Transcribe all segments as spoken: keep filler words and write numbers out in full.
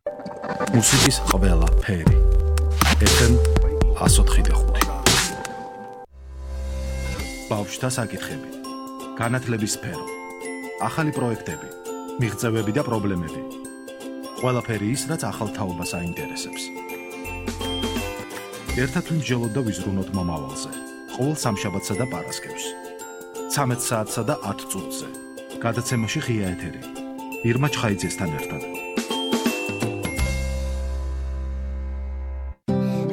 მუსიკის ყველა ფერი. ეფ ემ one oh four point five. ბავშვთა საკითხები. განათლების სფერო. ახალი პროექტები, მიღწევები და პრობლემები. ყველაფერი ის, რაც ახალ თაობას აინტერესებს. ერთად ვიმსჯელოთ და ვიზრუნოთ მომავალზე. ყოველ სამშაბათსა და პარასკევს. ცამეტ საათსა და ათ წუთზე. გადაცემაში ღია ეთერი. ირმა ჩხაიძესთან ერთად.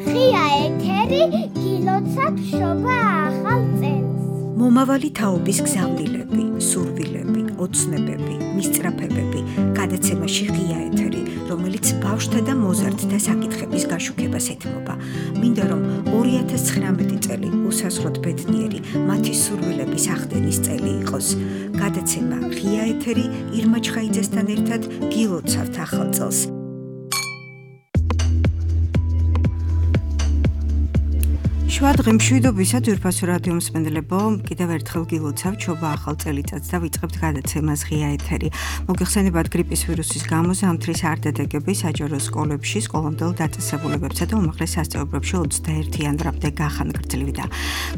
ღია ეთერი გილოცავ შობა ახალ წელს. მომავალი თაობის გზავნილები, სურვილები, ოცნებები, მისწრაფებები, გადაცემაში ღია ეთერი, რომელიც ბავშვთა და მოზარდთა საკითხების გაშუქებას ეთმობა. მინდა რომ ორი ათას ცხრამეტი წელი უსასრულოდ ბედნიერი, მათი სურვილების ახდენის წელი იყოს. გადაცემა ღია ეთერი ირმა ჩხაიძესთან ერთად გილოცავთ ახალ წელს. შუადღე მშვიდობისა ძვირფასო რადიო მსმენელებო, კიდევ ერთხელ გილოცავთ შობა ახალ წელიწადს და ვიწყებთ გადაცემას ღია ეთერი. მოგეხსენებათ გრიპის ვირუსის გამო ზამთრის არ დადეგები საჯარო სკოლებში, სკოლამდელ დაწესებულებებსა და უმაღლეს სასწავლებლებში ოცდაერთი იანვრამდე გახანგრძლივდა.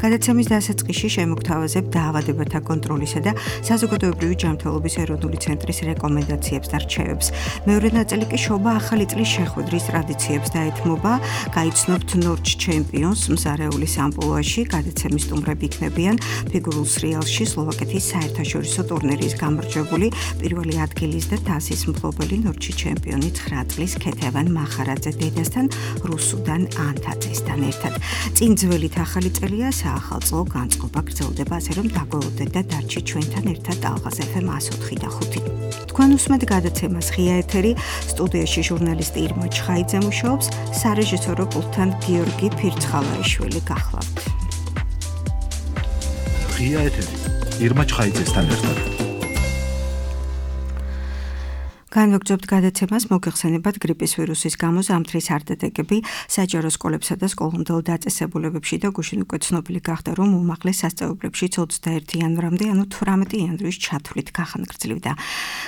გადაცემის დასაწყისში შემოგთავაზებ დაავადებათა კონტროლისა და საზოგადოებრივი ჯანმრთელობის ეროვნული ცენტრის რეკომენდაციებს და რჩევებს. მეორე ნაწილი კი შობა ახალი წლის შეხვედრის ტრადიციებს დაეთმობა. გაიცნობთ ნორჩ ჩემპიონს მზარე სამპლუაში გადაცემის სტუმრები იქნებიან ფიგურულ სრიალში სლოვაკეთის საერთაშორისო ტურნირის გამარჯვებული პირველი ადგილის და თასის მფლობელი ნორჩი ჩემპიონი ცხრა წლის ქეთევან მახარაძე დედასთან რუსუდან ანთაძესთან ერთად. წინ ძველით ახალი წელია, საახალწლო განწყობა გრძელდება, ასე რომ დაგველოდეთ და დარჩით ჩვენთან ერთად ალღაზ ეფ ემ one oh four point five. თქვენ უსმენთ გადაცემას ღია ეთერი, სტუდიაში ჟურნალისტი ირმა ჩხაიძე მუშაობს, სარეჟისორო პულტთან გიორგი ფირცხალაიშვილი გახლავთ. ღია ეთერი ირმა ჩხაიძესთან ერთად. განვაგრძობთ გადაცემას, მოგეხსენებათ გრიპის ვირუსის გამო ზამთრის არ დადეგები საჯარო სკოლებსა და სკოლამდელ დაწესებულებებში და გუშინ უკვე ცნობილი გახდა, რომ უმაღლეს სასწავლებლებშიც ოცდაერთი იანვრამდე, ანუ თვრამეტი იანვრის ჩათვლით გახანგრძლივდა.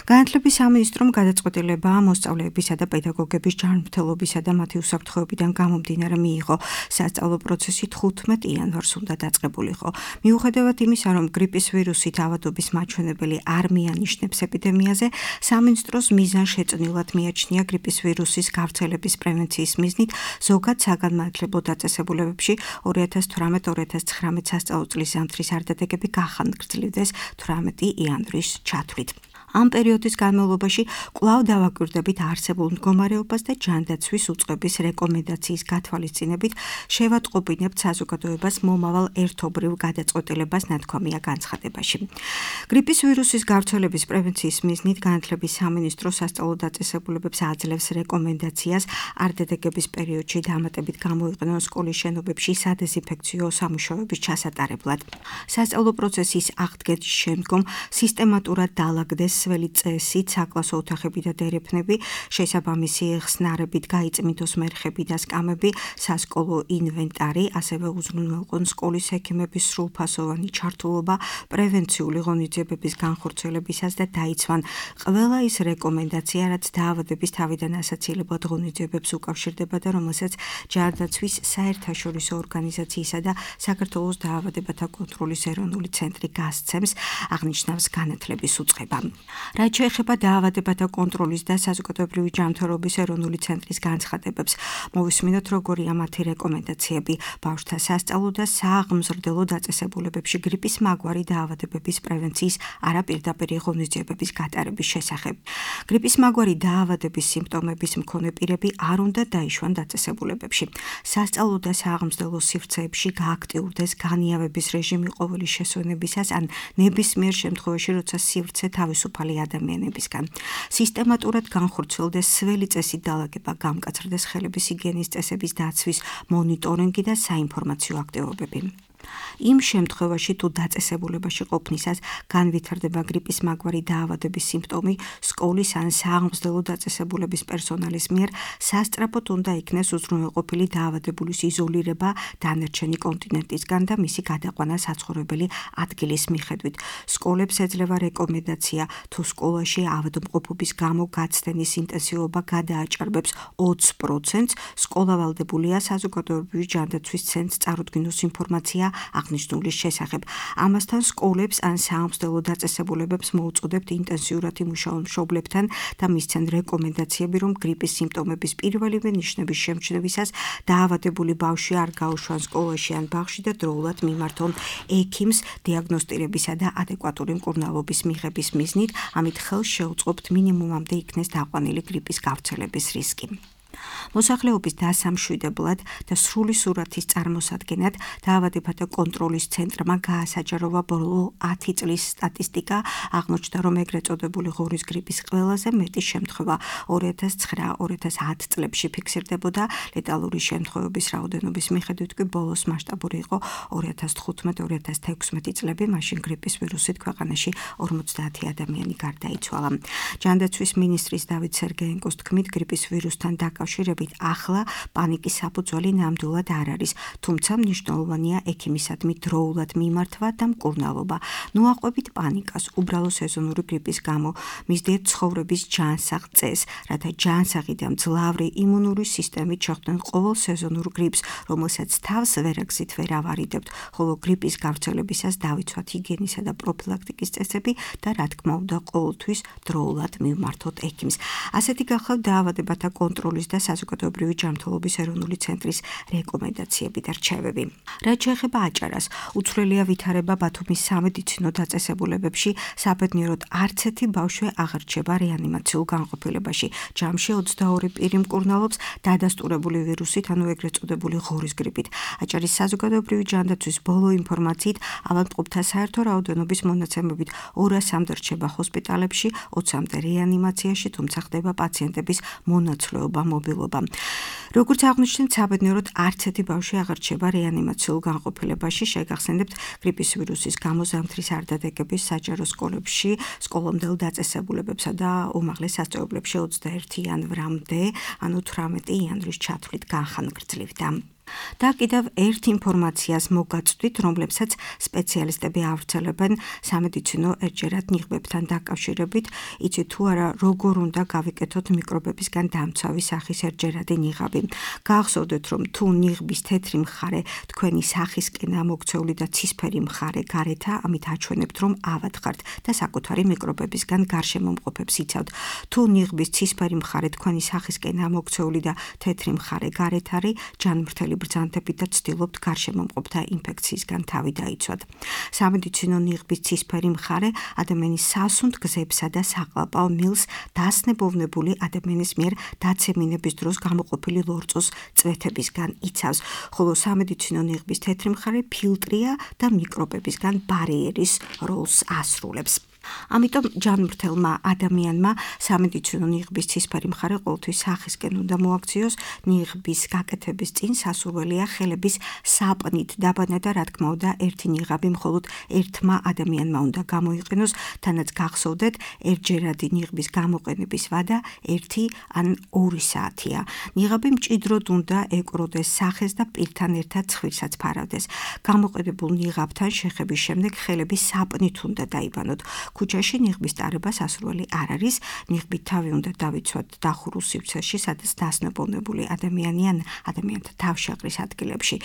განათლების სამინისტრომ გადაწყვეტილება მოსწავლეებისა და პედაგოგების ჯანმრთელობისა და მათი უსაფრთხოებიდან გამომდინარე მიიღო. სასწავლო პროცესი თხუთმეტ იანვარს უნდა დაწყებულიყო. მიუხედავად იმისა, რომ გრიპის ვირუსით ავადობის მაჩვენებელი არ მიანიშნებს ეპიდემიაზე, სამინისტროს მიზან შეწნილად მიაჩნია გრიპის ვირუსის გავრცელების პრევენციის მიზნით ზოგად საგანმანათლებლო დაწესებულებებში ორი ათას თვრამეტ ორი ათას ცხრამეტ სასწავლო წლის ზამთრის არ დადეგები გახანგრძლივდეს თვრამეტი იანვრის ჩათვლით. ამ პერიოდის განმავლობაში კვლავ დავაკვირდებით არსებულ მდგომარეობას და ჯანდაცვის უწყების რეკომენდაციის გათვალისწინებით შევატყობინებთ საზოგადოებას მომავალ ერთობრივ გადაწყვეტილებას ნათქვამია განცხადებაში. გრიპის ვირუსის გავრცელების პრევენციის მიზნით განათლების სამინისტრო სასწავლო დაწესებულებებს აძლევს რეკომენდაციას არ დადეგების პერიოდში დამატებით გამოიყენონ სკოლის შენობებში სადეზინფექციო სამუშაოების ჩასატარებლად. სასწავლო პროცესის აღდგენის შემდგომ სისტემატურად დაალაგდეს სველი წესით საკლასო ოთახები და დერეფნები, შესაბამისი ხსნარებით გაიწმიდოს მერხები და სკამები, სასკოლო ინვენტარი, ასევე უზრუნველყონ სკოლის ექიმების სრულფასოვანი ჩართულობა პრევენციული ღონისძიებების განხორციელებისას და დაიცვან ყველა ის რეკომენდაცია, რაც დაავადების თავიდან ასაცილებლად ღონისძიებებს უკავშირდება და რომელსაც ჯანდაცვის საერთაშორისო ორგანიზაციისა და საქართველოს დაავადებათა კონტროლის ეროვნული ცენტრი გასცემს, აღნიშნავს განათლების უწყება. რაც შეეხება დაავადებათა კონტროლის და საზოგადოებრივი ჯანმრთელობის ეროვნული ცენტრის განცხადებებს, მოვისმინოთ როგორია მათი რეკომენდაციები ბავშვთა სასწავლო და სააღმზრდელო დაწესებულებებში გრიპის მაგვარი დაავადებების პრევენციის არაპირდაპირი ღონისძიებების გატარების შესახებ. გრიპის მაგვარი დაავადების სიმპტომების მქონე პირები არ უნდა დაიშვან დაწესებულებებში. სასწავლო და სააღმზრდელო სივრცეებში გააქტიურდეს განიავების რეჟიმი ყოველი შესვენებისას ან ნებისმიერ შემთხვევაში, როცა სივრცე თავისუფალი ადამიანებისგან. სისტემატურად განხორციელდეს სველი წესით დალაგება, გამკაცრდეს ხელების ჰიგიენის წესების დაცვის მონიტორინგი და საინფორმაციო აქტივობები. იმ შემთხვევაში თუ დაწესებულებაში ყოფნისას განვითარდება გრიპის მაგვარი დაავადების სიმპტომი, სკოლის ან სააღმზრდელო დაწესებულების პერსონალის მიერ სასწრაფოდ უნდა იქნეს უზრუნველყოფილი დაავადებულის იზოლირება დანარჩენი კონტინენტისგან და მისი გადაყვანა საცხოვრებელი ადგილის მიხედვით. სკოლებს ეძლევა რეკომენდაცია, თუ სკოლაში ავადმყოფობის გამო გაცდენის ინტენსივობა გადააჭარბებს ოცს პროცენტს, სკოლა ვალდებულია საზოგადოებრივი ჯანდაცვის ცენტრს წარუდგინოს ინფორმაცია აღნიშნულის შესახებ. ამასთან სკოლებს ან სააღმზრდელო დაწესებულებებს მოუწოდებთ ინტენსიურად იმუშაონ მშობლებთან და მისცენ რეკომენდაციები, რომ გრიპის სიმპტომების პირველივე ნიშნების შემჩნევისას დაავადებული ბავშვი არ გაუშვან სკოლაში ან ბაღში და დროულად მიმართონ ექიმს დიაგნოსტირებისა და ადეკვატური მკურნალობის მიღების მიზნით, ამით ხელს შეუწყობთ მინიმუმამდე იქნეს დაყვანილი გრიპის გავრცელების რისკი. მოსახლეობის დასამშვიდებლად და სრული სურათის წარმოსადგენად დაავადებათა კონტროლის ცენტრმა გაასაჯაროვა ბოლო ათი წლის სტატისტიკა, აღმოჩნდა, რომ ეგრეთ წოდებული ღორის გრიპის ყველაზე მეტი შემთხვევა ორი ათას ცხრა ორი ათას ათი წლებში ფიქსირდებოდა, ლეტალური შემთხვევების რაოდენობის მიხედვით კი ბოლოს მასშტაბური იყო ორი ათას თხუთმეტი ორი ათას თექვსმეტი წლები, მაშინ გრიპის ვირუსით ქვეყანაში ორმოცდაათი ადამიანი გარდაიცვალა. ჯანდაცვის მინისტრის დავით სერგეენკოს თქმით, გრიპის ვირუსთან დაკავშირებით ახლა პანიკის საფუძველი ნამდვილად არ არის, თუმცა მნიშვნელოვანია ექიმისადმი დროულად მიმართვა და მკურნალობა. ნუაყვებით პანიკას უბრალო სეზონური გრიპის გამო, მისდიეთ ცხოვრების ჯანსაღ წესს, რათა ჯანსაღი და მძლავრი იმუნური სისტემით შეხვდნენ ყოველ სეზონურ გრიპს, რომელსაც თავს ვერაგზით ვერ ავარიდებთ, ხოლო გრიპის გავრცელებისას დავიცვათ ჰიგიენისა და პროფილაქტიკის წესები და რა თქმა უნდა ყოველთვის დროულად მივმართოთ ექიმს. ასეთი გახლავთ დაავადებათა კონტროლის და საზოგადოებრივი ჯანმრთელობის ეროვნული ცენტრის რეკომენდაციები და რჩევები. რაც შეეხება აჭარას, უცვლელია ვითარება ბათუმის სამედიცინო დაწესებულებებში, საბედნიეროდ არც ერთი ბავშვი აღარ რჩება რეანიმაციულ განყოფილებაში. ჯამში ოცდაორი პირი მკურნალობს დადასტურებული ვირუსით, ანუ ეგრეთ წოდებული ღორის გრიპით. აჭარის საზოგადოებრივი ჯანდაცვის ბოლო ინფორმაციით, ავადმყოფთა საერთო რაოდენობის მონაცემებით ორასამდე რჩება ჰოსპიტალებში, ოცამდე რეანიმაციაში, თუმცა ხდება პაციენტების მონაცვლეობა, მობილობა. როგორც აღნიშნეთ, საბედნიეროდ არც ერთი ბავშვი აღარ რჩება რეანიმაციულ განყოფილებაში. შეგახსენებთ, გრიპის ვირუსის გამო ზამთრის არდადეგების საჯარო სკოლებში, სკოლამდელ დაწესებულებებსა და უმაღლეს სასწავლებლებში ოცდაერთი იანვრამდე, ანუ თვრამეტი იანვრის ჩათვლით განხანგრძლივდა. და კიდევ ერთ ინფორმაციას მოგაწვდით, რომლებსაც სპეციალისტები ავრცელებენ სამედიცინო ერთჯერად ნიღბებთან დაკავშირებით. იცით თუ არა, როგორ უნდა გავიკეთოთ მიკრობებისგან დამცავი სახის ერთჯერადი ნიღაბი. გახსოვდეთ, რომ თუ ნიღბის თეთრი მხარე თქვენი სახისკენ ამოქცეული და ცისფერი მხარე გარეთა, ამით აჩვენებთ, რომ ავად ხართ და საკუთარი მიკრობებისგან გარშემომყოფებს იცავთ. თუ ნიღბის ცისფერი მხარე თქვენი სახისკენ ამოქცეული და თეთრი მხარე გარეთ არის, ჯანმრთელი ბრძანებით და ცდილობთ გარშემომყოფთა ინფექციისგან თავი დაიცვათ. სამედიცინო ნიღბის ცისფერი მხარე ადამიანის სასუნთ გზებსა და საყლაპავ მილს დასნებოვნებული ადამიანის მიერ დაცემინების დროს გამოყოფილი ლორწოს წვეთებისგან იცავს, ხოლო სამედიცინო ნიღბის თეთრი მხარე ფილტრია და მიკრობებისგან ბარიერის როლს ასრულებს. ამიტომ ჯანმრთელმა ადამიანმა სამედიცინო ნიღბის ცისფერი მხარე ყოველთვის სახისკენ უნდა მოაქციოს. ნიღბის გაკეთების წინ სასურველია ხელების საპნით დაბანა და რა თქმა უნდა ერთი ნიღაბი მხოლოდ ერთმა ადამიანმა უნდა გამოიყენოს, თანაც გახსოვდეთ, ერთჯერადი ნიღბის გამოყენების ვადა ერთი ან ორი საათია. ნიღაბი მჭიდროდ უნდა ეკვროდეს სახეს და პირთან ერთად ცხვირსაც ფარავდეს. გამოყენებულ ნიღაბთან შეხების შემდეგ ხელები საპნით უნდა დაიბანოთ. ქუჩაში ნიღბის ტარება სასურველი არ არის. ნიღბით თავი უნდა დავიცვათ დახურულ სივრცეში, სადაც დასნებოვნებული ადამიანი ან ადამიანთა თავშეყრის ადგილებში.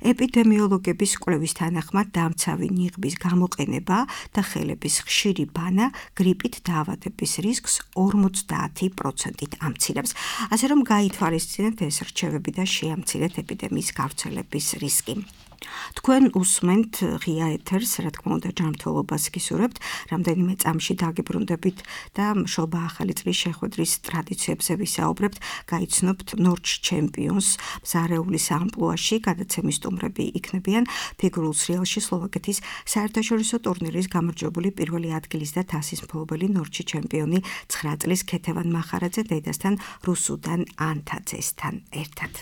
ეპიდემიოლოგების კვლევის თანახმად დამცავი ნიღბის გამოყენება და ხელების ხშირი ბანა გრიპით დაავადების რისკს ორმოცდაათი პროცენტით ამცირებს. ასე რომ გაითვალისწინეთ ეს რჩევები და შეამცირეთ ეპიდემიის გავრცელების რისკი. თქვენ უსმენთ ღია ეთერს, რა თქმა უნდა ჯანმრთელობას გისურვებთ, რამდენიმე წამში დაგიბრუნდებით და მშობა ახალი წლის შეხვედრის ტრადიციებზე ვისაუბრებთ, გაიცნობთ ნორჩ ჩემპიონს მზარეულის ამპლუაში, გადაცემის სტუმრები იქნებიან ფიგურულ სრიალში სლოვაკეთის საერთაშორისო ტურნირის გამარჯვებული პირველი ადგილის და თასის მფლობელი ნორჩი ჩემპიონი ცხრა წლის ქეთევან მახარაძე დედასთან რუსუდან ანთაძესთან ერთად.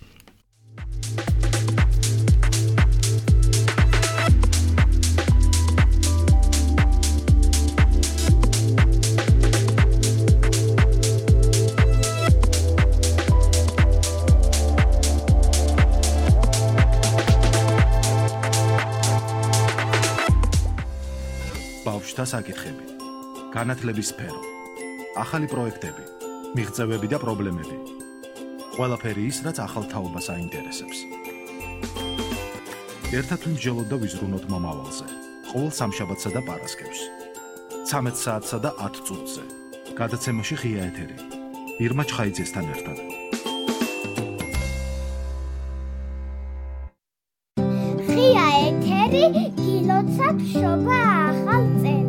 და საკითხები, განათლების სფერო, ახალი პროექტები, მიღწევები და პრობლემები. ყველაფერი ის, რაც ახალ თაობას აინტერესებს. ერთად ვიმსჯელოთ და ვიზრუნოთ მომავალზე. ყოველ სამშაბათსა და პარასკევს. ცამეტ საათსა და ათ წუთზე. გადაცემაში ღია ეთერი. ირმა ჩხაიძესთან ერთად. ღია ეთერი გილოცავ შობა ახალ წელს.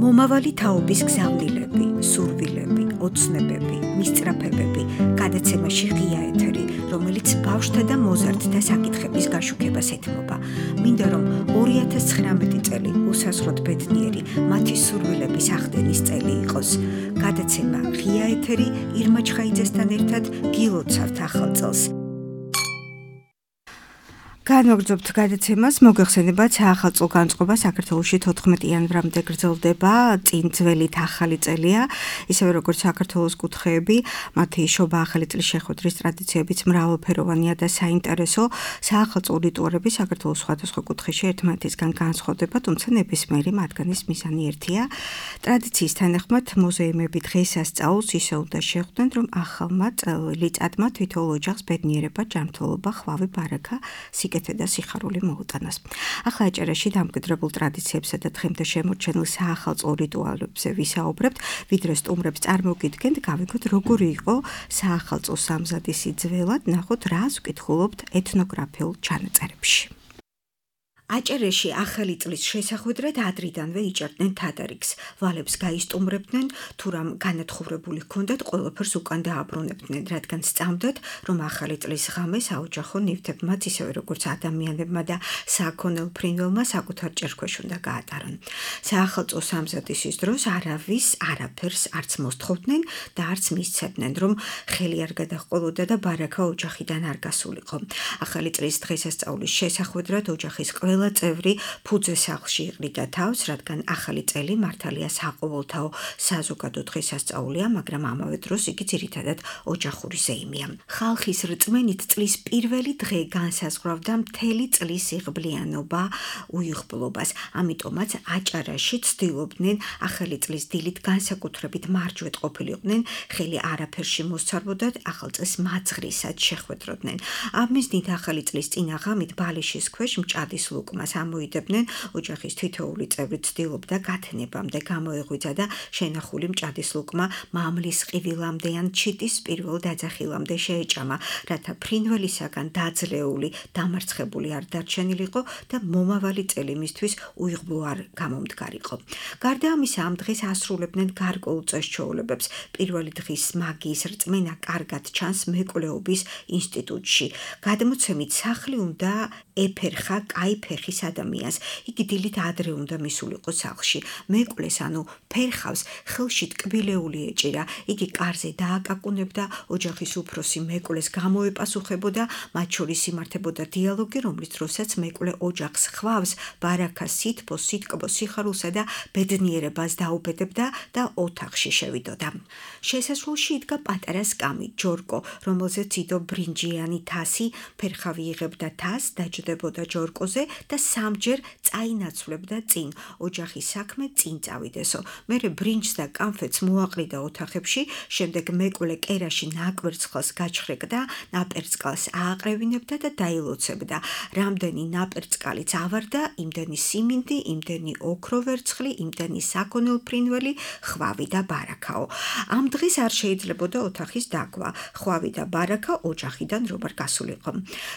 მომავალი თაობის გზავნილები, სურვილები, ოცნებები, მისწრაფებები, გადაცემაში ღია ეთერი, რომელიც ბავშვთა და მოზარდთა საკითხების გაშუქებას ეთმობა. მინდა რომ ორი ათას ცხრამეტი წელი უსასრულოდ ბედნიერი, მათი სურვილების ახდენის წელი იყოს. გადაცემა ღია ეთერი ირმა ჩხაიძესთან ერთად გილოცავთ ახალ წელს. განვაგრძობთ გადაცემას, მოგეხსენებათ, საახალწლო განწყობა საქართველოში თოთხმეტი იანვრამდე გრძელდება, წინ ძველით ახალი წელია, ისევე როგორც საქართველოს კუთხეები, მათი შობა ახალი წლის შეხვედრის ტრადიციებიც მრავალფეროვანია და საინტერესო. საახალწლო რიტუალები საქართველოს სხვადასხვა კუთხეში ერთმანეთისგან განსხვავდება, თუმცა ნებისმიერი მათგანის მიზანი ერთია. ტრადიციის თანახმად მუზეუმები დღესასწაულს ისე უნდა შეხვდნენ, რომ ახალმა წელიწადმა თითოეულ ოჯახს ბედნიერება, ჯანმრთელობა, ხვავი, ბარაკა, სიკეთე და სიხარული მოუტანას. ახლა აჭარაში დამკვიდრებულ ტრადიციებსა და დღემდე შემორჩენილ საახალწლო რიტუალებზე ვისაუბრებთ, ვიდრე სტუმრებს წარმოგიდგენთ, გავიგოთ როგორი იყო საახალწლო სამზადისი ძველად, ნახოთ რას ვკითხულობთ ეთნოგრაფიულ ჩანაწერებში. აჭარაში ახალი წლის შესახვედრად ადრიდანვე იჭერდნენ თადარიგს, ვალებს გაისტუმრებდნენ, თუ რამ განათხოვრებული ჰქონდათ, ყველაფერს უკან დააბრუნებდნენ, რადგან სწამდათ, რომ ახალი წლის ღამე საოჯახო ნივთებმა, ისევე როგორც ადამიანებმა და საქონელ ფრინველმა საკუთარ ჭერქვეშ უნდა გაატარონ. საახალწლო სამზადისის დროს არავის არაფერს არც მოსთხოვდნენ და არც მისცემდნენ, რომ ხელი არ გადაჰყოლოდა და ბარაკა ოჯახიდან არ გასულიყო. ახალი წლის დღესასწაულის შესახვედრად ოჯახის ყველა წევრი ფუძე სახლში იყრიდა თავს, რადგან ახალი წელი მართალია საყოველთაო საზოგადო დღესასწაულია, მაგრამ ამავე დროს იგი ძირითადად ოჯახური ზეიმია. ხალხის რწმენით წლის პირველი დღე განსაზღვრავდა მთელი წლის იღბლიანობა, უიღბლობას. ამიტომაც აჭარაში ცდილობდნენ ახალი წლის დილით განსაკუთრებით მარჯვედ ყოფილიყვნენ, ხელი არაფერში მოსცარბოდათ, ახალ წელს მაძღრისად შეხვედროდნენ. ამის დიდ ახალი წლის წინა ღამით ბალიშის ქვეშ მჭადის ლუკ მას ამოიდებდნენ, ოჯახის თითოეული წევრი ცდილობდა გათნებამდე გამოეღვიძა და შენახული მჭადის ლუკმა მამლის ყივილამდე ან ჩიტის პირველ დაძახილამდე შეეჭამა, რათა ფრინველისაგან დაძლეული, დამარცხებული არ დარჩენილიყო და მომავალი წელი მისთვის უიღბლო არ გამომდგარიყო. გარდა ამისა, ამ დღეს ასრულებდნენ გარკვეულ წეს-ჩვეულებებს. პირველი დღის მაგიის რწმენა კარგად ჩანს მეკვლეობის ინსტიტუტში. გადმოცემით სახლი უნდა ეფერხა კაი ფეხის ადამიანს. იგი დილით ადრე უნდა მისულიყო სახლში. მეკვლეს, ანუ ფერხავს, ხელში ტკბილეული ეჭირა. იგი კარზე დააკაკუნებდა, ოჯახის უფროსი მეკვლეს გამოეპასუხებოდა, მათ შორის იმართებოდა დიალოგი, რომლის დროსაც მეკლე ოჯახს ხვავს, ბარაკას, სითბოს, სიტკბოს, სიხარულსა და ბედნიერებას დაუბედებდა და ოთახში შევიდოდა. შესასრულში იდგა პატარა სკამი, ჯორკო, რომელზეც იდო ბრინჯიანი თასი, ფერხავი იღებდა თასს, დაჯდებოდა ჯორკოზე და სამჯერ წაინაცვლებდა წინ, ოჯახის საქმე წინ წავიდესო. მერე ბრინჯს და კამფეტს მოაყრიდა ოთახებში, შემდეგ მეკლე კერაში ნაკვერცხალს გაჩხრეკდა, ნაპერწკალს ააყრევინებდა და დაილოცებდა. რამდენი ნაპერწკალიც ავარდა, იმდენი სიმინდი, იმდენი ოქრო ვერცხლი, იმდენი საქონელ ფრინველი, ხვავი და ბარაკაო. ამ დღეს არ შეიძლებოდა ოთახის დაგვა, ხვავი და ბარაკა ოჯახიდან რომ არ გასულიყო.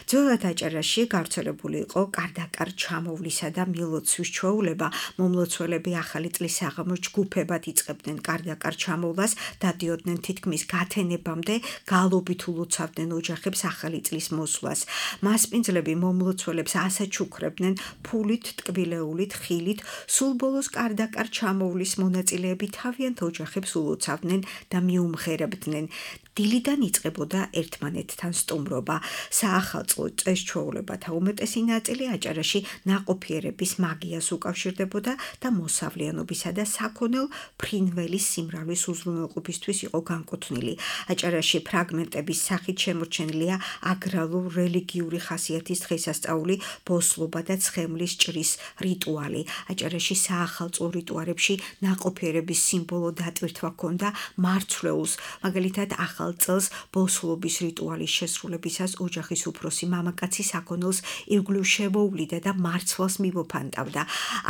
ძველად აჭარაში გავრცელებული იყო კარდაკარ ჩამოვლისა და მილოცვის ჩვეულება. მომლოცველები ახალი წლის საღამოს ჯგუფებად იწყებდნენ კარდაკარ ჩამოვლას, დადიოდნენ თითქმის გათენებამდე, გალობით ულოცავდნენ ოჯახებს ახალი წლის მოსვლას. მასპინძლები მომლოცველებს ასაჩუქრებდნენ ფულით, ტკბილეულით, ხილით, სულ ბოლოს კარდაკარ ჩამოვლის მონაწილეები თავიანთ ოჯახებს ულოცავდნენ და მიუმღერებდნენ. დილიდან იწყებოდა ერთმანეთთან სტუმრობა. საახალწლო წეს-ჩვეულებათა უმეტესი ნაწილი აჭარაში აჭარაში ნაყოფიერების მაგიას უკავშირდებოდა და მოსავლიანობისა და საქონელ ფრინველის სიმრავლის უზრუნველყოფისთვის იყო განკუთვნილი. აჭარაში ფრაგმენტების სახით შემორჩენილია აგრალურ-რელიგიური ხასიათის დღესასწაული, ბოსლობა და ცხენლის ჭრის რიტუალი. აჭარაში საახალწლო რიტუალებში ნაყოფიერების სიმბოლო დატვირთვა ჰქონდა მარცვლეულს, მაგალითად ახალ წელს ბოსლობის რიტუალის შესრულებისას ოჯახის უფროსი მამაკაცი საქონელს ირგვლივ შემოუვლიდა და მარცვალს მიმოფანტავდა.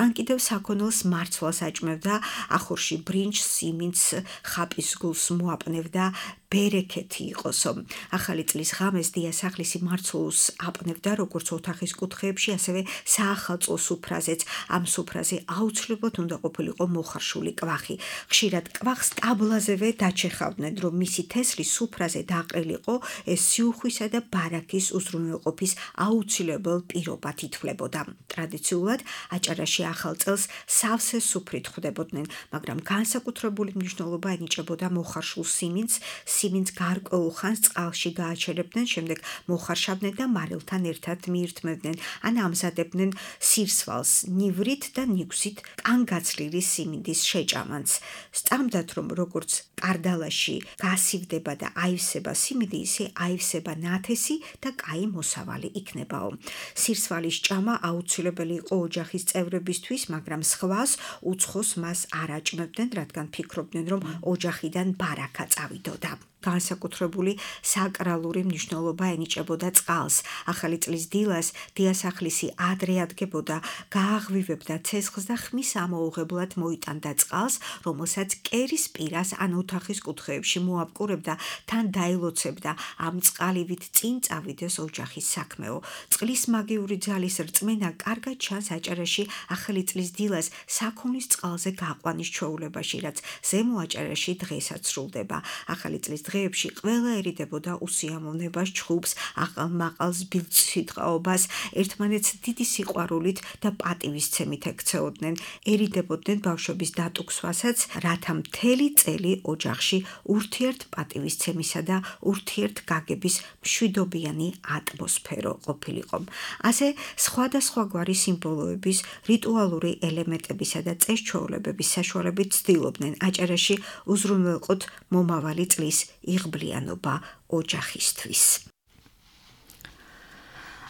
ან კიდევ საქონელს მარცვალს აჭმევდა, ახორში ბრინჯს, სიმინდს, ხაპის გულს მოაპნევდა, ბერეკეთი იყოსო. ახალი წლის ღამეს დიასახლისი მარცვლეულს აპნევდა როგორც ოთახის კუთხეებში, ასევე საახალწლო სუფრაზეც. ამ სუფრაზე აუცილებლად უნდა ყოფილიყო მოხარშული კვახი. ხშირად კვახს ტაბლაზევე დაჩეხავდნენ, რომ მისი თესლი სუფრაზე დაყრილიყო, ეს სიუხვისა და ბარაქის უზრუნველყოფის აუცილებელ პირობად ითვლებოდა. ტრადიციულად აჭარაში ახალ წელს სავსე სუფრით ხვდებოდნენ, მაგრამ განსაკუთრებული მნიშვნელობა ენიჭებოდა მოხარშულ სიმინდს. სიმინდს გარკვეულ ხანს წყალში გააჩერებდნენ, შემდეგ მოხარშავდნენ და მარილთან ერთად მიირთმევდნენ, ან ამზადებდნენ სირსვალს ნივრით და ნიგვზით კანგაცლილი სიმინდის შეჭამანს. სწამდათ, რომ როგორც კარდალაში გასივდება და აივსება სიმინდი, ისე აივსება ნათესი და კაი მოსავალი იქნებაო. სირსვალის ჭამა აუცილებელი იყო ოჯახის წევრებისთვის, მაგრამ სხვას უცხოს მას არ აჭმევდნენ, რადგან ფიქრობდნენ, რომ ოჯახიდან ბარაქა წავიდოდა. განსაკუთრებული საკრალური მნიშვნელობა ენიჭებოდა წყალს. ახალი წლის დილას დიასახლისი ადრე ადგებოდა, გააღვივებდა ცეცხლს და ხმის ამოუღებლად მოიტანდა წყალს, რომელსაც კერის პირას ან ოთახის კუთხეებში მოაპკურებდა, თან დაილოცებდა, ამ წყალივით წინ წავიდეს ოჯახის საქმეო. წყლის მაგიური ძალის რწმენა კარგად ჩანს აჭარაში ახალი წლის დილას საქონლის წყალზე გაყვანის ჩვეულებაში, რაც ზემო აჭარაში დღესაც სრულდება. ახალი წლის დღეებში ყველა ერიდებოდა უსიამოვნებას, ჩხუბს, აყალ-მაყალს, ბილწვიტყაობას, ერთმანეთს დიდი სიყვარულით და პატივისცემით ექცეოდნენ. ერიდებოდნენ ბავშვების დატუქსვასაც, რათა მთელი წელი ოჯახში ურთიერთ პატივისცემისა და ურთიერთ გაგების მშვიდობიანი ატმოსფერო ყოფილიყო. ასე სხვადასხვაგვარი სიმბოლოების, რიტუალური ელემენტებისა და წეს-ჩვეულებების საშუალებით ცდილობდნენ აჭარაში უზრუნველყოთ მომავალი წლის იღბლიანობა ოჯახისთვის.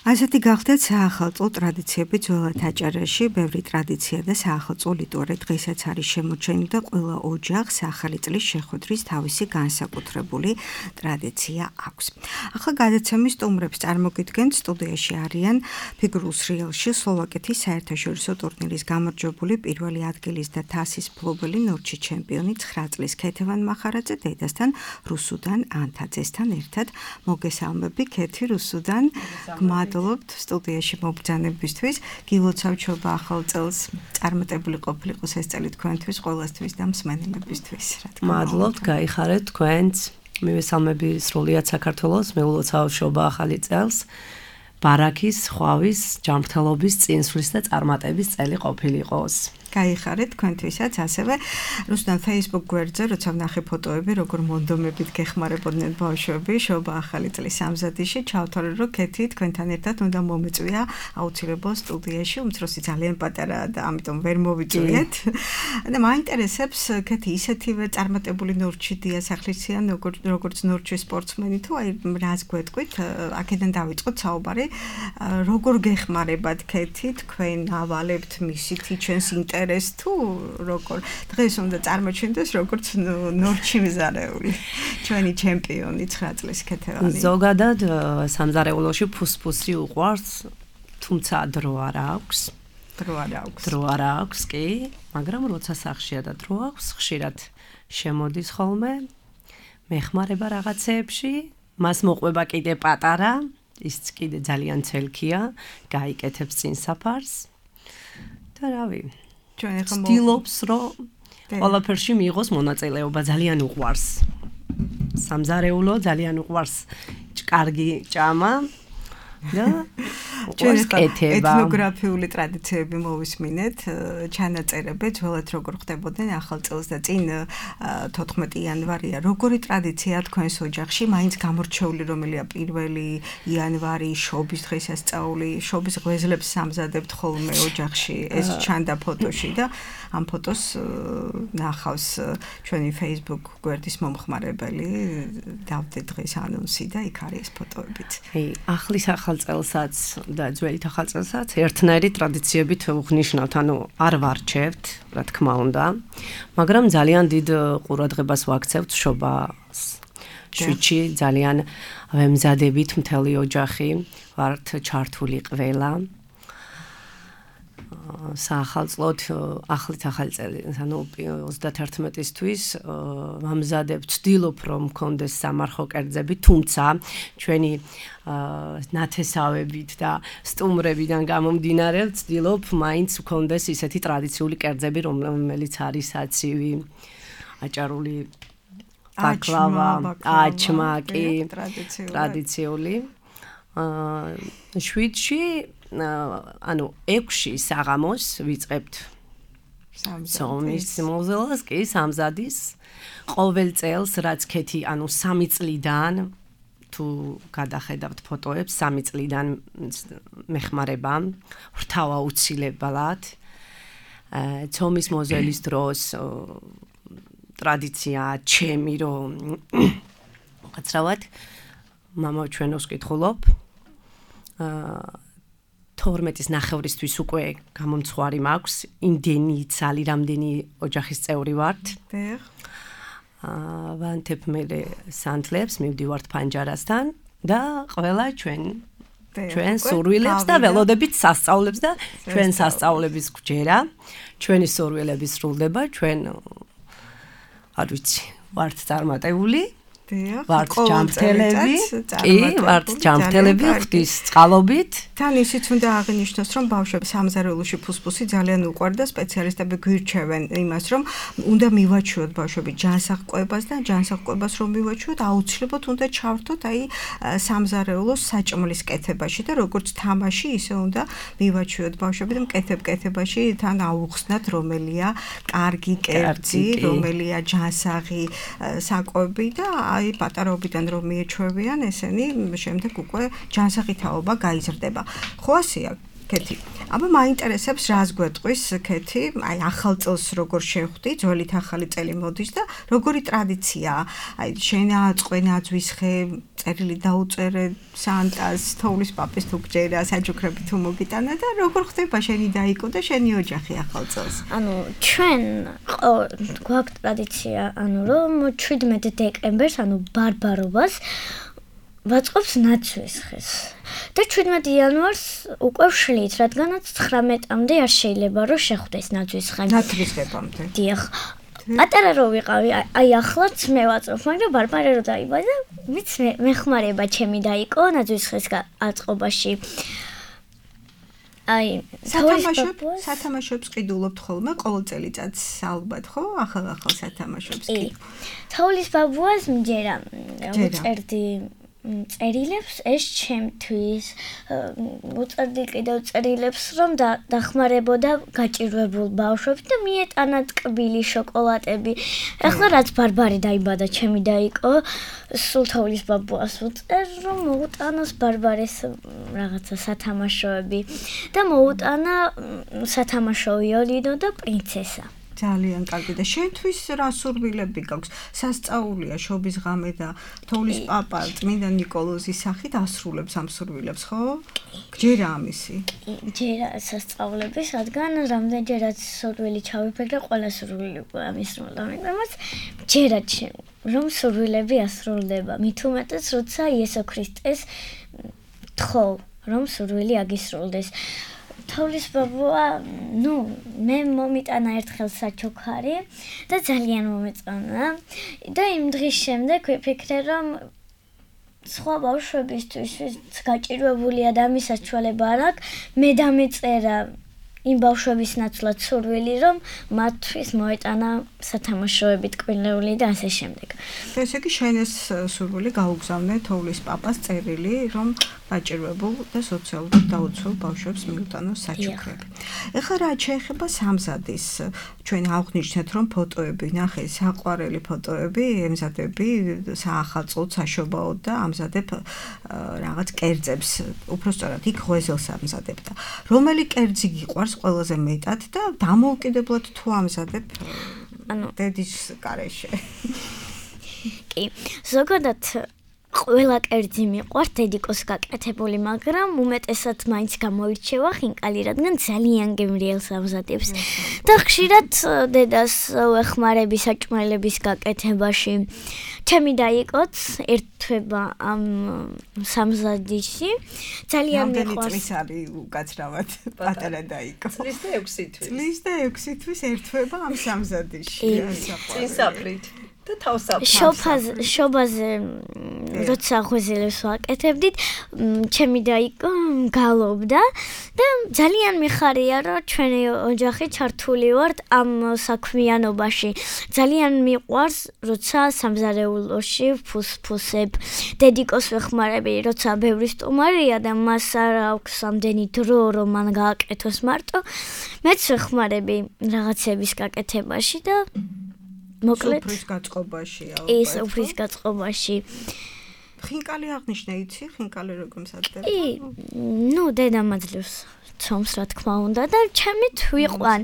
ასეთი გახდათ საახალწლო ტრადიციები ძველად აჭარაში. ბევრი ტრადიცია და საახალწლო რიტუალი დღესაც არის შემორჩენილი და ყველა ოჯახს ახალი წლის შეხვედრის თავისი განსაკუთრებული ტრადიცია აქვს. ახლა გადაცემის სტუმრებს წარმოგიდგენთ, სტუდიაში არიან ფიგურულ სრიალში სლოვაკეთის საერთაშორისო ტურნირის გამარჯვებული პირველი ადგილის და თასის მფლობელი ნორჩი ჩემპიონი ცხრა წლის ქეთევან მახარაძე დედასთან რუსუდან ანთაძესთან ერთად. მოგესალმები ქეთი რუსუდან. მადლობთ სტუდიაში მობრძანებისთვის. გილოცავ ჩობა ახალ წელს წარმატებული ყოფილიყოს ეს წელი თქვენთვის, ყველასთვის და მსმენელებისთვის. მადლობთ, გაიხარეთ თქვენც. მივესალმები სრულიად საქართველოს, მეულოცავ შობა ახალი წელს. ბარაქის, ხვავის, ჯანმრთელობის, წინსვლის და წარმატების წელი ყოფილიყოს. გაიხარეთ თქვენთვისაც ასევე რუსუდან Facebook გვერდზე როცა ვნახე ფოტოები, როგორ მონდომებით გეხმარებოდნენ ბავშვები შობა ახალი წლის სამზადისში, ჩავთვალე რომ ქეთი თქვენთან ერთად უნდა მომეწვია აუცილებლად სტუდიაში, უმცროსი ძალიან პატარაა და ამიტომ ვერ მოვიწვიეთ. და მაინტერესებს ქეთი ისეთივე წარმატებული ნორჩი დიასახლისია, როგორც როგორც ნორჩი სპორტსმენი თუ აი რას გვეტყვით, აქედან დავიწყოთ საუბარი, როგორ გეხმარებათ ქეთი თქვენ ავალებთ მისით ჩვენს ინტერესს თუ როგორ დღეს უნდა წარმოჩინდეს როგორც ნორჩი მზარეული ჩვენი ჩემპიონი ცხრა წლის ქეთევანი. ზოგადად სამზარეულოში ფუსფუსი უყვარს, თუმცა დრო არ აქვს. დრო არ აქვს. დრო არ აქვს კი, მაგრამ როცა სახშია და დრო აქვს, ხშირად შემოდის ხოლმე, მეხმარება რაღაცეებში, მას მოყვება კიდე პატარა, ის კიდე ძალიან ცელქია, გაიკეთებს წინ საფარს. და რავი ცდილობს, რომ ყველაფერში მიიღოს მონაწილეობა, ძალიან უყვარს. სამზარეულო ძალიან უყვარს, კარგი ჭამა და უყვარს კეთება. ეთნოგრაფიული ტრადიციები მოვისმინეთ, ჩანაწერები ძველად როგორ ხდებოდნენ ახალწელს და წინ თოთხმეტი იანვარია. როგორი ტრადიციაა თქვენს ოჯახში? მაინც გამორჩეული რომელია პირველი იანვარი, შობის დღესასწაული, შობის ღვიძლებს სამზადებთ ხოლმე ოჯახში. ეს ჩანდა ფოტოში და ამ ფოტოს ნახავს ჩვენი Facebook გვერდის მომხმარებელი. დავდე დღის ანონსი და იქ არის ეს ფოტოებიც. აი, ახლის ახალწელსაც და ძველით ახალწელსაც ერთნაირი ტრადიციებით ვუხნიშნავთ, ანუ არ ვარჩევთ, რა თქმა უნდა, მაგრამ ძალიან დიდ ყურადღებას ვაქცევთ შობას. შვიდში ძალიან ვემზადებით მთელი ოჯახი, ვართ ჩართული ყველა. საახალწლოდ ახლით ახალი წელი, ანუ ოცდათერთმეტისთვის ვამზადებ, ვცდილობ რომ მქონდეს სამარხო კერძები, თუმცა ჩვენი ნათესავებით და სტუმრებიდან გამომდინარე ვცდილობ მაინც მქონდეს ისეთი ტრადიციული კერძები, რომელიც არის აცივი, აჭარული ბაკლავა, აჩმაკი, ტრადიციული. შვიდში ანუ ექვსი საღამოს ვიწყებთ ცომის მოზელას კი სამზადის ყოველ წელს რაც ქეთი ანუ სამი წლიდან თუ გადახედავთ ფოტოებს სამი წლიდან მეხმარება ვრთავა უცილებად ცომის მოზელის დროს ტრადიცია ჩემი რომ ყაცრავად მამა ჩვენოს კითხულობ თორმეტის ნახევრისთვის უკვე გამომცხვარი მაქვს, იმდენი ცალი რამდენი ოჯახის წევრი ვართ. დიახ. აა ვანთებ მე სანთლებს, მივდივართ ფანჯარასთან და ყველა ჩვენ ჩვენ სურვილებს და ველოდებით სასწაულებს და ჩვენ სასწაულების გვჯერა, ჩვენი სურვილები სრულდება, ჩვენ არ ვიცი, ვართ წარმატებული. ვართ ჯამრთელები, კი, ვართ ჯამრთელები, ღვთის წყალობით. თან ისიც უნდა აღინიშნოს, რომ ბავშვებს სამზარეულოში ფუსფუსი ძალიან უყვარდა, სპეციალისტები გვირჩევენ იმას, რომ უნდა მივაჩვიოთ ბავშვები ჯანსაღყვებას და ჯანსაღყვებას რომ მივაჩვიოთ, აუცილებლად უნდა ჩავრთოთ აი სამზარეულოს საჭმლის კეთებაში და როგორც თამაში, ისე უნდა მივაჩვიოთ ბავშვები და მკეთებ-კეთებაში თან აუხსნათ რომელია კარგი კერძი, რომელია ჯანსაღი საკვები და აი პატარაობიდან რომ მიეჩვევიან ესენი შემდეგ უკვე ჯანსაღი თაობა გაიზრდება. ხო ასეა კეთი. აბა მაინტერესებს რას გვეტყვის კეთი, აი ახალ წელს როგორ შეხვდი, ძველით ახალი წელი მოდის და როგორი ტრადიციაა. აი შენა წყვენა ძვისხე, წერილი დაუწერე სანტას, თოვლის პაპის თუ გჯერა, საჯუქრები თუ მოგიტანა და როგორ ხდება შენი დაიკო და შენი ოჯახი ახალ წელს. ანუ ჩვენ გვაქვს ტრადიცია, ანუ რომ შვიდმეტი დეკემბერს, ანუ ბარბარობას ვაწყობს ნაცვისხეს. და შვიდმეტი იანვარს უკვე ვშლით, რადგანაც ცხრამეტამდე არ შეიძლება რომ შეხვდეს ნაცვისხე. ნაცვისხებამდე. დიახ. პატარა რო ვიყავი, აი ახლაც მე ვაწყობ, მაგრამ ბარბარე რო დაიბადა, ვიც მეხმარება ჩემი დაიკო ნაცვისხეს აწყობაში. აი, სათამაშოებს, სათამაშოებს ყიდულობთ ხოლმე ყოველ წელიწადს ალბათ, ხო? ახალ-ახალ სათამაშოებს კი. თოვლის ბაბუას მჯერა, უწერდი წერილებს ეს ჩემთვის უწერდი კიდევ წერილებს რომ დახმარებოდა გაჭირვებულ ბავშვებს და მიეტანა ტკბილი შოკოლადები. ახლა რაც ბარბარე დაიბადა ჩემი დაიკო სულ თოვლის ბაბუას უწერ რომ მოუტანოს ბარბარეს რაღაცა სათამაშოები და მოუტანა სათამაშო ვიოლინო და პრინცესა. ძალიან კარგი და შენთვის რა სურვილები გაქვს? სასწაულია შობის ღამე და თოვლის პაპა წმინდა ნიკოლოზის სახით ასრულებს ამ სურვილებს, ხო? გჯერა ამისი? ჯერა სასწაულების, რადგან რამდენჯერაც სურვილი ჩავიფიქრე, ყველა სურვილი ამისრულდა, მაგრამ ჯერა რომ სურვილები ასრულდება. მით უმეტეს, როცა იესო ქრისტეს თხოვ, რომ სურვილი აგისრულდეს. თოვლის ბაბუა, ნუ, მე მომიტანა ერთხელ საჩუქარი და ძალიან მომეწონა და იმ დღის შემდეგ ვიფიქრე, რომ სხვა ბავშვებისთვის გაჭირვებული ადამიანის საშუალება არ აქვს, მე დამეწერა იმ ბავშვების ნაცვლად სურვილი, რომ მათთვის მოეტანა სათამაშოები ტკბილეული და ასე შემდეგ. ესე იგი შენ ეს სურვილი გაუგზავნე თოვლის პაპას წერილი, რომ დაჭირვებულ და სოციალურად დაუცველ ბავშვებს მიუტანოს საჩუქრები. ეხლა რა შეეხება სამზადის, ჩვენ აღვნიშნეთ, რომ ფოტოები, ნახე, საყვარელი ფოტოები, ემზადები საახალწლოდ, საშობაოდ და ამზადებ რაღაც კერძებს, უბრალოდ იქ ღვეზელს ამზადებ და რომელი კერძი გიყვარს ყველაზე მეტად და დამოუკიდებლად თუ ამზადებ ანუ დედის გარეშე. კი, ზოგადად ყველა კერძი მიყვარს დედიკოს გაკეთებული, მაგრამ უმეტესად მაინც გამოირჩევა ხინკალი, რადგან ძალიან გემრიელს ამზადებს. და ხშირად დედას ვეხმარები საჭმელების გაკეთებაში. ჩემი დაიკოც ერთვება ამ სამზადისში. ძალიან მიყვარს. რამდენი წლის არის უკაცრავად პატარა დაიკო? წლის და ექვსი თვის. წლის და ექვსი თვის ერთვება ამ სამზადისში. წინსაფრით. და თავსაფრით. შოფაზე, შობაზე როცა ღვეზელებს ვაკეთებდით, ჩემი დაიკო გალობდა და ძალიან მიხარია, რომ ჩვენი ოჯახი ჩართული ვართ ამ საქმიანობაში. ძალიან მიყვარს, როცა სამზარეულოში ფუსფუსებ. დედიკოს ვეხმარები, როცა ბევრი სტუმარია და მას არ აქვს ამდენი დრო, რომ მან გააკეთოს მარტო. მეც ვეხმარები რაღაცების გაკეთებაში და მოკლედ სუფრის გაწყობაში ალბათ. ის სუფრის გაწყობაში. ხინკალი აღნიშნე, იცი, ხინკალი როგორ მსადდება? კი, ნუ დედა მაძლევს ცომს, რა თქმა უნდა და ჩემით ვიყვან.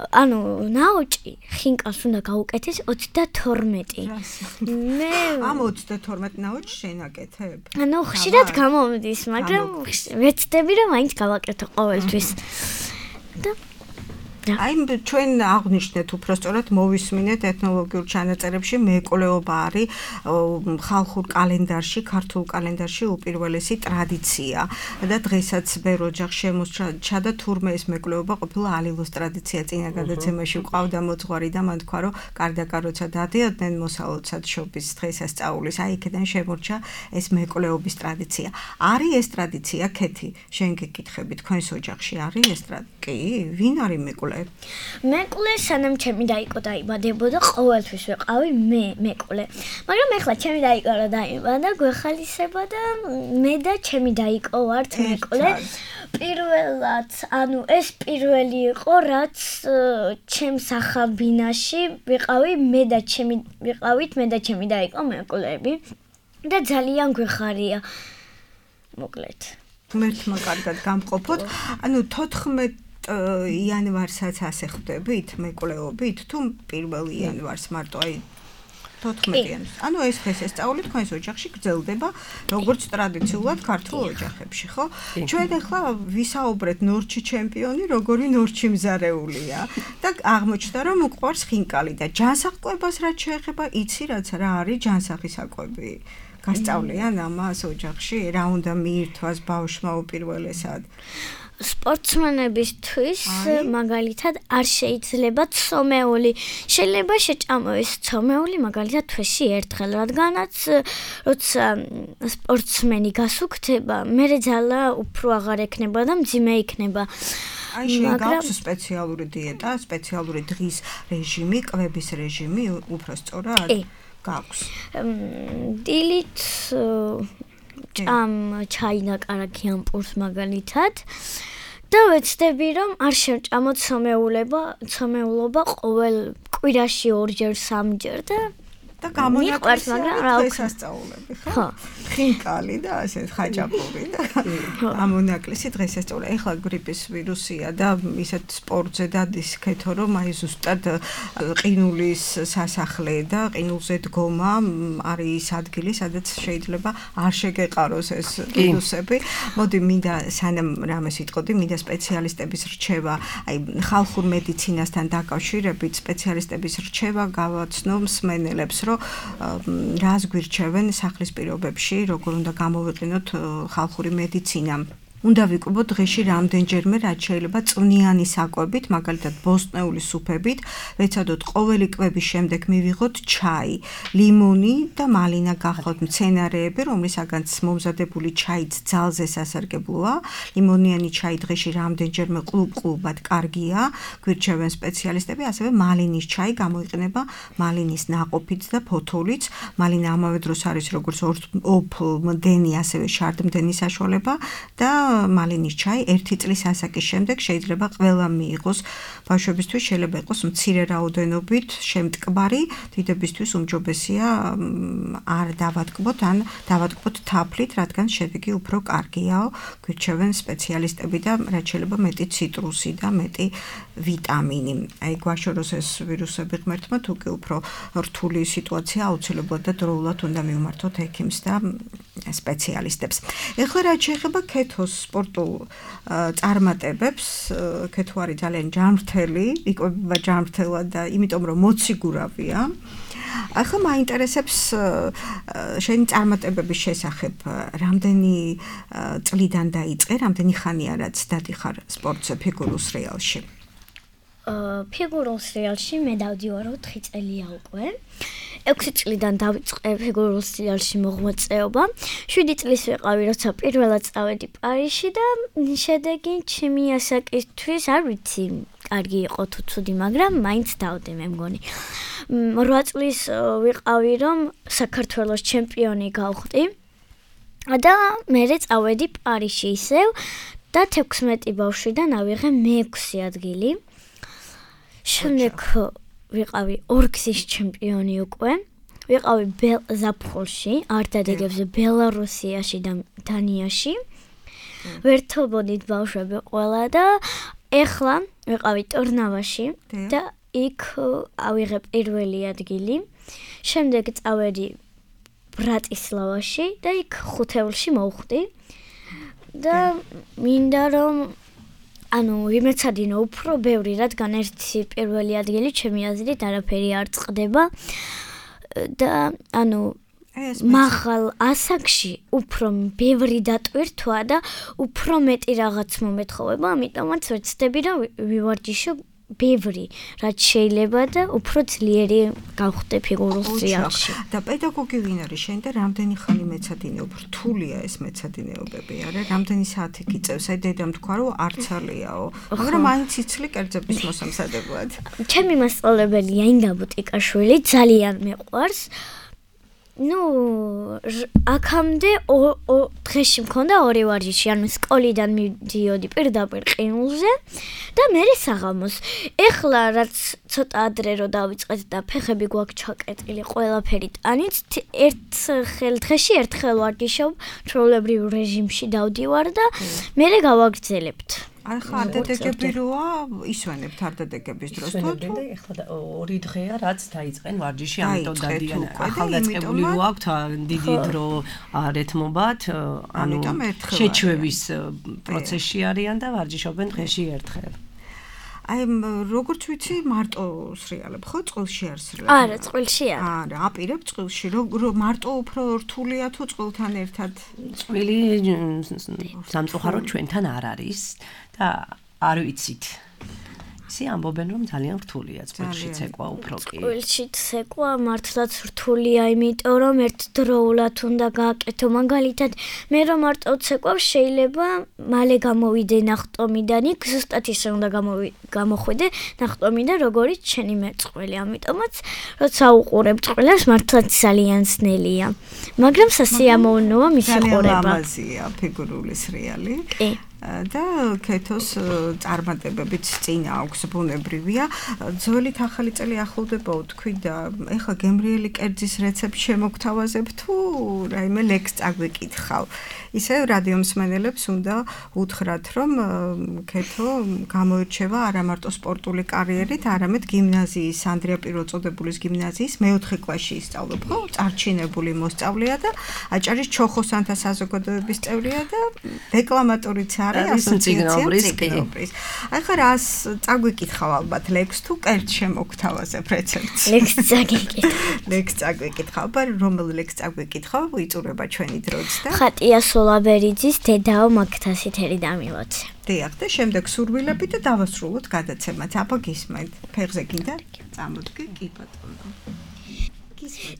ანუ ნაოჭი ხინკალს უნდა გაუკეთეს ოცდათორმეტი. მე ამ ოცდათორმეტ ნაოჭს შენ აკეთებ? ანუ ხშირად გამომდის, მაგრამ ვეცდები რომ მაინც გავაკეთო ყოველთვის. და აი ჩვენ აღვნიშნეთ უბრალოდ მოვისმინეთ ეთნოლოგიურ ჩანაწერებში მეკვლეობა არის ხალხურ კალენდარში, ქართულ კალენდარში უპირველესი ტრადიცია და დღესაც ბევრ ოჯახში შემოსჩა და თურმე ეს მეკვლეობა ყოფილა ალილოს ტრადიცია. წინა გადაცემაში ყავდა მოძღვარი და მან თქვა, რომ კარდაკა როცა დადიოდნენ მოსალოდსად შობის დღესასწაულის, აი იქიდან შემორჩა ეს მეკვლეობის ტრადიცია. არის ეს ტრადიცია, ქეთი? შენ გეკითხები, თქვენს ოჯახში არის ეს ტრადიცია? კი, ვინ არის მეკვლე? მეკვლე სანამ ჩემი დაიკო დაიბადებოდა ყოველთვის ვიყავი მე მეკვლე. მაგრამ ეხლა ჩემი დაიკო რა დაიბადა, გვეხალისება და მე და ჩემი დაიკო ვართ მეკვლე. პირველად, ანუ ეს პირველი იყო, რაც ჩემს ახალ ბინაში ვიყავი მე და ჩემი ვიყავით მე და ჩემი დაიკო მეკვლეები და ძალიან გვეხარია. მოკლედ. ღმერთმა კარგად გამყოფოთ. ანუ თოთხმეტ იანვარსაც ასე ხვდებით მეკვლეობით თუ პირველ იანვარს მარტო აი თოთხმეტი იანვარს. ანუ ეს დღესასწაული თქვენს ოჯახში გრძელდება როგორც ტრადიციულად ქართულ ოჯახებში, ხო? ჩვენ ახლა ვისაუბრეთ ნორჩი ჩემპიონი, როგორი ნორჩი მზარეულია და აღმოჩნდა რომ უყვარს ხინკალი და ჯანსაღყვებას რაც შეეხება, იცი რაც რა არის ჯანსაღისაკვები? გასწავლიან ამას ოჯახში, რა უნდა მიირთვას ბავშვმა უპირველესად? სპორტსმენებისთვის მაგალითად არ შეიძლება ცომეული. შეიძლება შეჭამოს ცომეული მაგალითად თვეში ერთხელ, რადგანაც როცა სპორტსმენი გასუქდება, მერე ძალა უფრო აღარ ექნება და მძიმე იქნება. აი შენ გაქვს სპეციალური დიეტა, სპეციალური დღის რეჟიმი, კვების რეჟიმი, უფრო სწორად? გაქვს. დილით ჭამ ჩაი და კარაქი ამ პურს მაგალითად და ვეცდები რომ არ შევჭამოთ ცომეულობა, ცომეულობა ყოველ კვირაში ორჯერ სამჯერ და და გამონაკლისია დღესასწაულები, ხო? ხინკალი და ასე ხაჭაპური და გამონაკლისი დღესასწაული. ეხლა გრიპის ვირუსია და ისეთ სპორტზე დადის ქეთო, რომ აი ზუსტად ყინულის სასახლე და ყინულზე დგომა არის ის ადგილი, სადაც შეიძლება არ შეგეყაროს ეს ვირუსები. მოდი მინდა სანამ რამეს ვიტყოდი, მინდა სპეციალისტების რჩევა, აი ხალხურ მედიცინასთან დაკავშირებით სპეციალისტების რჩევა გავაცნო მსმენელებს, რომ რას გვირჩევენ სახლის პირობებში, როგორ უნდა გამოვიყენოთ ხალხური მედიცინა. უნდა ვიკვებოთ დღეში რამდენჯერმე, რაც შეიძლება წვნიანი საკვებით, მაგალითად ბოსტნეული სუფებით, ვეცადოთ ყოველი კვების შემდეგ მივიღოთ ჩაი, ლიმონი და მალინა გახლავთ მცენარეები, რომლისაგანაც მომზადებული ჩაიც ძალზე სასარგებლოა. ლიმონიანი ჩაი დღეში რამდენჯერმე ყლუბ-ყლუბად კარგია, გვირჩევენ სპეციალისტები, ასევე მალინის ჩაი გამოიყენება მალინის ნაყოფით და ფოთოლით. მალინა ამავე დროს არის როგორც ოფლმდენი, ასევე შარდმდენი საშუალება და მალინის ჩაი ერთი წლის ასაკის შემდეგ შეიძლება ყველა მიიღოს. ბავშვებისთვის შეიძლება იყოს მცირე რაოდენობით შემტკბარი, დიდებისთვის უმჯობესია არ დავატკბოთ ან დავატკბოთ თაფლით, რადგან შედეგი უფრო კარგიაო, გვირჩევენ სპეციალისტები და რაც შეიძლება მეტი ციტრუსი და მეტი ვიტამინი. აი გვაშოროს ეს ვირუსები ღმერთმა, თუ კი უფრო რთული სიტუაცია აუცილებლად და დროულად უნდა მივმართოთ ექიმს და სპეციალისტებს. ეხლა რაც შეეხება ქეთოს სპორტულ წარმატებებს, ქეთო არის ძალიან ჯანმრთელი, იკვებება ჯანმრთელად და იმიტომ რომ მოციგურავია. ახლა მაინტერესებს შენი წარმატებების შესახებ, რამდენი წლიდან დაიწყე, რამდენი ხანია რაც დადიხარ სპორტზე ფიგურულ სრიალში? ფიგურულ სრიალში მე დავდივარ ოთხი წელია უკვე. ექვსი წლიდან დავიწყე ფიგურულ სრიალში მოღვაწეობა. შვიდი წლის ვიყავი, როცა პირველად წავედი პარიზში და შედეგი ჩემი ასაკისთვის არ ვიცი, კარგი იყო თუ ცუდი, მაგრამ მაინც დავდე მე მგონი. რვა წლის ვიყავი, რომ საქართველოს ჩემპიონი გავხდი და მერე წავედი პარიზში ისევ და თექვსმეტი ბავშვიდან ავიღე მეექვსე ადგილი. შემდეგ ვიყავი ორგზის ჩემპიონი უკვე. ვიყავი ზაფხულში, არ დადეგებზე ბელარუსიაში და დანიაში. ვერთობოდით ბავშვები ყველა და ეხლა ვიყავი ტორნავაში და იქ ავიღე პირველი ადგილი. შემდეგ წავედი ბრატისლავაში და იქ ხუთეულში მოვხვდი. და მინდა რომ ანუ ვიმეცადინო უფრო ბევრი, რადგან ერთი პირველი ადგილი ჩემი აზრით არაფერი არ წყდება და ანუ მაღალ ასაკში უფრო ბევრი დატვირთვა და უფრო მეტი რაღაც მომეთხოვება, ამიტომაც ვეცდები რომ ვივარჯიშო ბევრი, რაც შეიძლება და უფრო ძლიერი გავხდე ფიგურულ სრიალში. და პედაგოგი ვინ არის შენ და რამდენი ხანი მეცადინეობ? რთულია ეს მეცადინეობები, არა? რამდენი საათი გიწევს? აი დედამ თქვა რომ არცალიაო, მაგრამ მაინც იცლი კერძების მოსამზადებლად. ჩემი მასწავლებელია ინგა ბუტიკაშვილი, ძალიან მეყვარს. ნუ აქამდე დღეში მქონდა ორი ვარჯიში, ანუ სკოლიდან მივდიოდი პირდაპირ ყინულზე და მერე საღამოს. ეხლა რაც ცოტა ადრე რო დავიწყეთ და ფეხები გვაქვს ჩაკეტილი ყველაფერი ტანიც, ერთხელ დღეში ერთხელ ვარჯიშობ, ჩვეულებრივ რეჟიმში დავდივარ და მერე გავაგრძელებთ. ახლა არდადეგები როა ისვენებთ არდადეგების დროს თუ ეხლა ორი დღეა რაც დაიწყენ ვარჯიში, ამიტომ დადიან ახალდაწყებული რო აქვთ დიდი დრო არ ეთმობათ, ანუ შეჩვევის პროცესში არიან და ვარჯიშობენ დღეში ერთხელ. აი როგორც ვიცი მარტო სრიალებ ხო წყილში არ სრიალებ? არა, წყილში არა. არა, აპირებ წყილში. რო მარტო უფრო რთულია თუ წყილთან ერთად? წვილი სამწუხაროდ ჩვენთან არ არის და არ ვიცით. ისე ამბობენ რომ ძალიან რთულია წყილში ცეკვა უფრო კი. წყილში ცეკვა მართლაც რთულია, იმიტომ რომ ერთდროულად უნდა გააკეთო. მაგალითად, მე რომ მარტო ცეკვავს შეიძლება მალე გამოვიდე ნახტომიდან, იქ ზუსტად ისე უნდა გამოხვიდე ნახტომიდან, როგორც შენი მეწყვილი. ამიტომაც, როცა უყურებ წყვილებს, მართლაც ძალიან ძნელია. მაგრამ სასიამოვნოა მისი ყურება. ძალიან ლამაზია ფიგურული სრიალი. კი. და ქეთოს წარმატებებიც წინ აქვს ბუნებრივია. ძველით ახალი წელი ახლოვდება თქვი და ეხლა გემრიელი კერძის რეცეპტი შემოგთავაზებ თუ რაიმე ლექს წაგვიკითხავ. ისე რადიო მსმენელებს უნდა უთხრათ რომ ქეთო გამოირჩევა არა მარტო სპორტული კარიერით, არამედ გიმნაზიის ანდრია პირველწოდებულის გიმნაზიის მეოთხე კლასში ისწავლებ, ხო? წარჩინებული მოსწავლეა და აჭარის ჩოხოსანთა საზოგადოების წევრია და დეკლამატორიც არის ასოციაცია ციგნობის. აი ხა რას წაგვიკითხავ ალბათ ლექს თუ კერძ შემოგთავაზებ რეცეპტს. ლექს წაგვიკითხავ. ლექს წაგვიკითხავ, ბარ რომელ ლექს წაგვიკითხავ, ვიწურება ჩვენი დროც და ხატია სულაბერიძის დედაო მაგთასითერი დამილოცე. დიახ და შემდეგ სურვილები და დავასრულოთ გადაცემაც. აბა გისმენთ. ფეხზე გინდა? წამოდგე, კი ბატონო.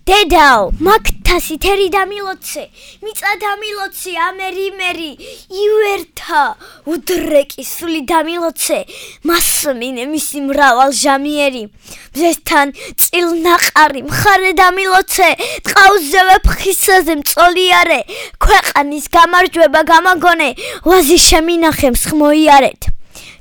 დედაო, მაგთასითერი დამილოცე, მიწა დამილოცე, ამერი მერი, ივერთა, უდრეკი სული დამილოცე, მასმინე მისი მრავალ ჟამიერი, მზესთან წილნაყარი, მხარე დამილოცე, ტყავზევე ფხისაზე მწოლიარე, ქვეყანის გამარჯვება გამაგონე, ვაზი შემინახე მსხმოიარეთ.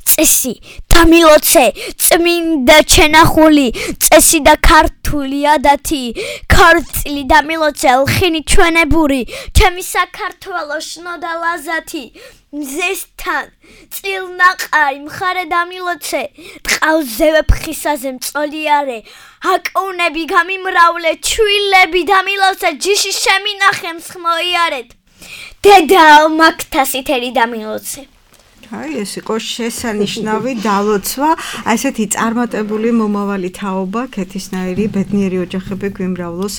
წესი დამილოცე, წმინდა ჩენახული, წესი და ქართული ადათი, ქორწილი დამილოცე, ლხინი ჩვენებური, ჩემი საქართველო შნოდა ლაზათი, მზესთან წილნაყარი, მხარე დამილოცე, ტყავზევე ფხისაზე მწოლიარე, აკუნები გამიმრავლე, ჩვილები დამილოცე, ჯიში შემინახე მსხმოიარეთ. დედაო მაგთასითერი დამილოცე. აი ეს იყო შესანიშნავი დალოცვა, ასეთი წარმატებული მომავალი თაობა, ქეთისნაირი ბედნიერი ოჯახები გვიმრავლოს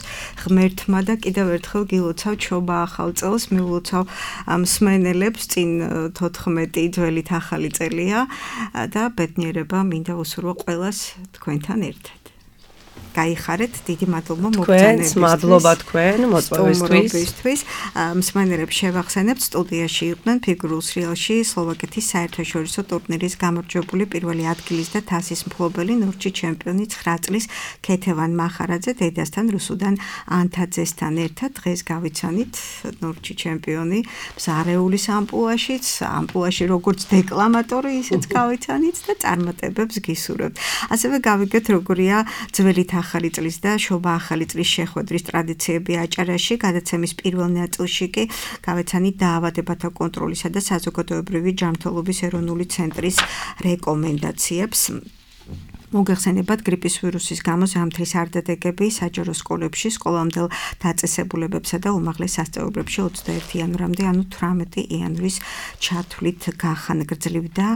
ღმერთმა და კიდევ ერთხელ გილოცავ ჩობა ახალ წელს, მიულოცავ მსმენელებს, წინ თოთხმეტი ძველით ახალი წელია და ბედნიერება მინდა უსურვო ყველას თქვენთან ერთად. გაიხარეთ, დიდი მადლობა მოგწონებისთვის. მადლობა თქვენ მოწვევისთვის. მსმენელებს შევახსენებთ, სტუდიაში იყვნენ ფიგურულ სრიალში სლოვაკეთის საერთაშორისო ტურნირის გამარჯვებული პირველი ადგილის და თასის მფლობელი ნორჩი ჩემპიონი ცხრა წლის ქეთევან მახარაძე დედასთან რუსუდან ანთაძესთან ერთად დღეს გავიცანით ნორჩი ჩემპიონი მზარეულის ამპლუაშიც, ამპლუაში როგორც დეკლამატორი ისეც გავიცანით და წარმატებებს გისურვებთ. ასევე გავიგეთ როგორია ძველით ახალი წლის და შობა ახალი წლის შეხვედრის ტრადიციები აჭარაში. გადაცემის პირველ ნაწილში კი გავეცანით დაავადებათა კონტროლისა და საზოგადოებრივი ჯანმრთელობის ეროვნული ცენტრის რეკომენდაციებს. მოგეხსენებათ გრიპის ვირუსის გამო ზამთრის არდადეგები საჯარო სკოლებში, სკოლამდელ დაწესებულებებსა და უმაღლეს სასწავლებლებში ოცდაერთი იანვრამდე, ანუ თვრამეტი იანვრის ჩათვლით გახანგრძლივდა.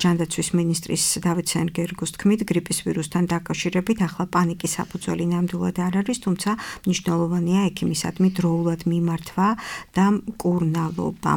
ჯანდაცვის მინისტრის დავით სენგერგოს თქმით, გრიპის ვირუსთან დაკავშირებით ახლა პანიკის საფუძველი ნამდვილად არ არის, თუმცა მნიშვნელოვანია ექიმისადმი დროულად მიმართვა და მკურნალობა.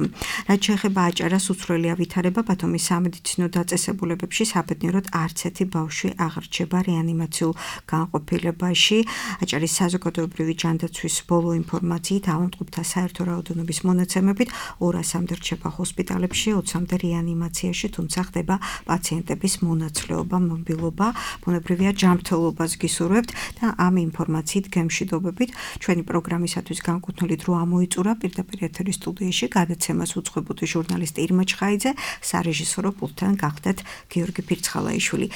რაც შეეხება აჭარას, უცვლელი ავითარება ბათუმის სამედიცინო დაწესებულებებში საბედნიეროდ არც ერთი ბავშვი აღრჩება რეანიმაციულ განყოფილებაში. აჭარის საზოგადოებრივი ჯანდაცვის ბოლო ინფორმაციით ავადმყოფთა საერთო რაოდენობის მონაცემებით ორასამდე რჩება ჰოსპიტალებში, ოცამდე რეანიმაციაში, თუმცა ხდება პაციენტების მონაცვლეობა, მობილობა, ბუნებრივია ჯანმრთელობას გისურვებთ და ამ ინფორმაციით გემშვიდობებით ჩვენი პროგრამისათვის განკუთვნილი დრო ამოიწურა პირდაპირ ეთერის სტუდიაში გადაცემას უძღვებოდი ჟურნალისტი ირმა ჩხაიძე, სარეჟისორო პულტთან გახდათ გიორგი ფირცხალაიშვილი.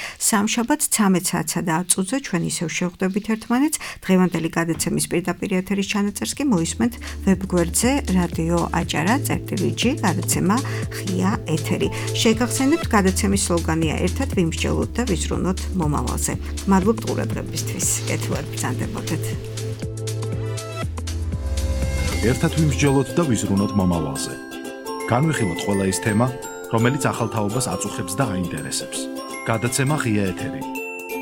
სამშაბათს ცამეტ საათსა და ათ წუთზე ჩვენ ისევ შევხვდებით ერთმანეთს. დღევანდელი გადაცემის პირდაპირ ეთერის ჩანაწერს კი მოისმენთ ვებგვერდზე რადიო აჭარა წერტილი გადაცემა ღია ეთერი. შეგახსენებთ, გადაცემის სლოგანია ერთად ვიმსჯელოთ და ვიზრუნოთ მომავალზე. მადლობთ ყურადღებისთვის. კეთილად ბრძანდებოდეთ. ერთად ვიმსჯელოთ და ვიზრუნოთ მომავალზე. განვიხილოთ ყველა ის თემა, რომელიც ახალ თაობას აწუხებს და აინტერესებს. გადაცემა ღია ეთერი.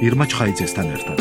ირმა ჩხაიძესთან ერთად.